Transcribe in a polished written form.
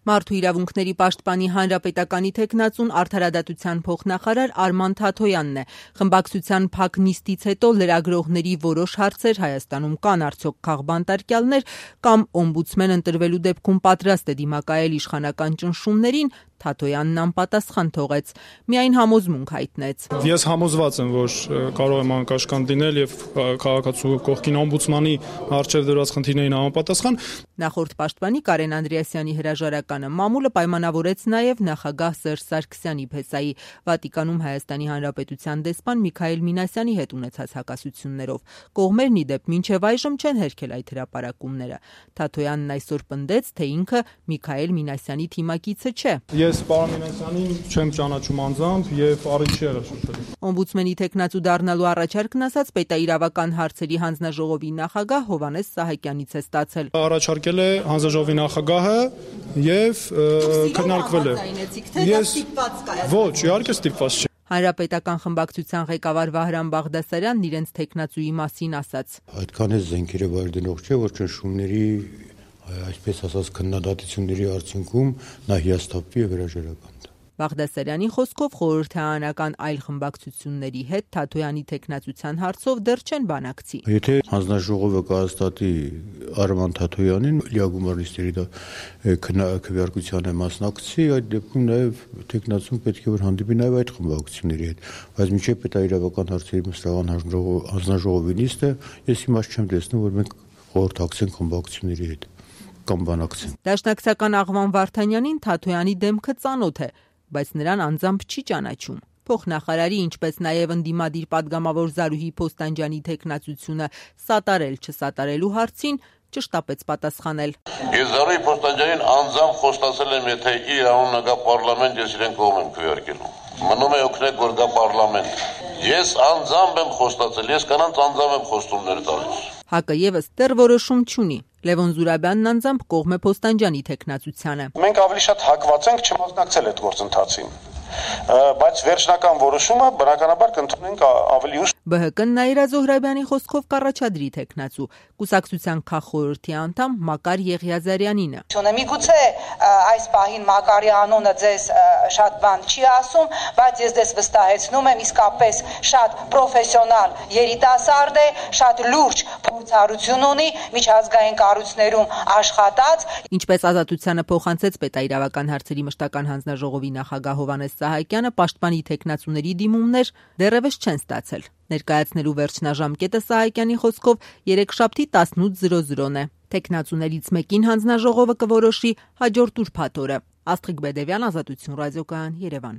Մարդու իրավունքների պաշտպանի հանրապետականի թեկնածուն արդարադատության փոխնախարար Արման Թաթոյանն է։ Խմբակցության փակ նիստից հետո լրագրողների որոշ հարցեր Հայաստանում կան արդյոք քաղբանտարկյալներ կամ օմբուդսմեն ընտրվելու դեպքում պատրաստ է դիմակայել իշխանական ճնշումներին, Թաթոյանն անպատասխան թողեց, միայն համոզմունք հայտնեց։ Ես համոզված եմ, որ կարող եմ անկաշկանդ լինել եւ քաղաքացու կողքին օմբուդսմանի առջեւ դրված խնդիրներին համապատասխան։ Նախորդ պաշտպանի Կարեն Անդրեասյանի հրաժարականը մամուլը պայմանավորեց նաև նախագահ Սերժ Սարգսյանի փեսայի Վատիկանում Հայաստանի Հանրապետության դեսպան Միքայել Մինասյանի հետ ունեցած հակասություններով։ Կողմերն ի դեպ մինչև այժմ չեն հերքել այդ հրապարակումները։ Թաթոյանն այսօր պնդեց, թե ինքը Միքայել Մինասյանի թիմակիցը չէ։ Ես պարոն Մինասյանին չեմ ճանաչում անձամբ եւ առիթ չի եղել շփվել։ Օմբուդսմենի թեկնածու դառնալու առաջարկն ասած պետաիրավական հարցերի հանձնաժողովի նախագահ Հովհաննես Սահակյանից է ստացել։ Առաջարկել է հանձնաժողովի նախագահը եւ քննարկվել է։ Ես ոչ, իհարկե ստիպված չէ։ Հանրապետական խմբակցության ղեկավար Վահրամ Բաղդասարյանն իրենց թեկնածուի մասին ասաց. Այդքան է զենքերը վայրդնող չէ, որ ճնշումների այսպես ասած քննադատությունների արդյունքում նա հիասթափվի եւ հրաժարական տա։ Բաղդասարյանի խոսքով խորհրդարանական այլ խմբակցությունների հետ Թաթոյանի թեկնածության հարցով դեռ չեն բանակցի։ Եթե հանձնաժողովը կհաստատի Արման Թաթոյանին լիագումար նիստերի քվեարկությանը մասնակցի, այդ դեպքում նաեւ թեկնածուն պետք է որ հանդիպի նաեւ այդ խմբակցությունների հետ, բայց մինչեւ պետաիրավական հարցերի մշտական հանձնաժողովի նիստը ես իմաստ չեմ տեսնում, որ մենք խորհրդակցենք խմբակցությունների հետ կամ բանակցենք։ Դաշնակցական Աղվան Վարդանյանին Թաթոյանի դեմքը ծանոթ է, բայց նրան անձամբ չի ճանաչում։ Փոխնախարարի, ինչպես նաև ընդդիմադիր падգամավոր Զարուհի Փոստանջյանի թեկնածությունը սատարել չսատարելու հարցին ճշտապեց պատասխանել։ Ես Զարուհի Փոստանջյանին անձամբ խոստացել եմ, եթե իր անունը գա պարլամենտ, ես իրեն կողմ եմ քվեարկելու։ Մնում է օգնել, որ գա պարլամենտ։ Ես անձամբ եմ խոստացել, ես կանանց անձամբ եմ խոստումներ տալիս։ ՀԱԿ-ը եւս դեռ որոշում չունի։ Լևոն Զուրաբյանն անձամբ կողմ է Փոստանջյանի թեկնածությանը։ Մենք ավելի շատ հակված ենք չմասնակցել այդ գործընթացին, բայց վերջնական որոշումը բնականաբար կընդունենք ավելի ուշ։ ԲՀԿ-ն Նաիրա Զոհրաբյանի խոսքով կառաջադրի թեկնածու, կուսակցության քաղխորհրդի անդամ Մակար Եղիազարյանինը։ Միգուցե այս պահին Մակարի անունը ձեզ շատ բան չի ասում, բայց ես ձեզ վստահեցնում եմ, իսկապես շատ պրոֆեսիոնալ երիտասարդ է, շատ լուրջ փորձառություն ունի, միջազգային կառույցներում աշխատած։ Ինչպես Ազատությանը փոխանցեց պետաիրավական հարցերի մշտական հանձնաժողովի նախագահ Հովհաննես Սահակյանը, պաշտպանի թեկնածուների դիմումներ դեռևս չեն ստացել։ Ներկայացնելու վերջնաժամկետը Սահակյանի խոսքով երեքշաբթի 18:00-ն է։ Թեկնածուներից մեկին հանձնաժողովը կորոշի հաջորդ ուրբաթ օրը։ Աստղիկ Բեդևյան, Ազատություն ռադիոկայան, Երևան։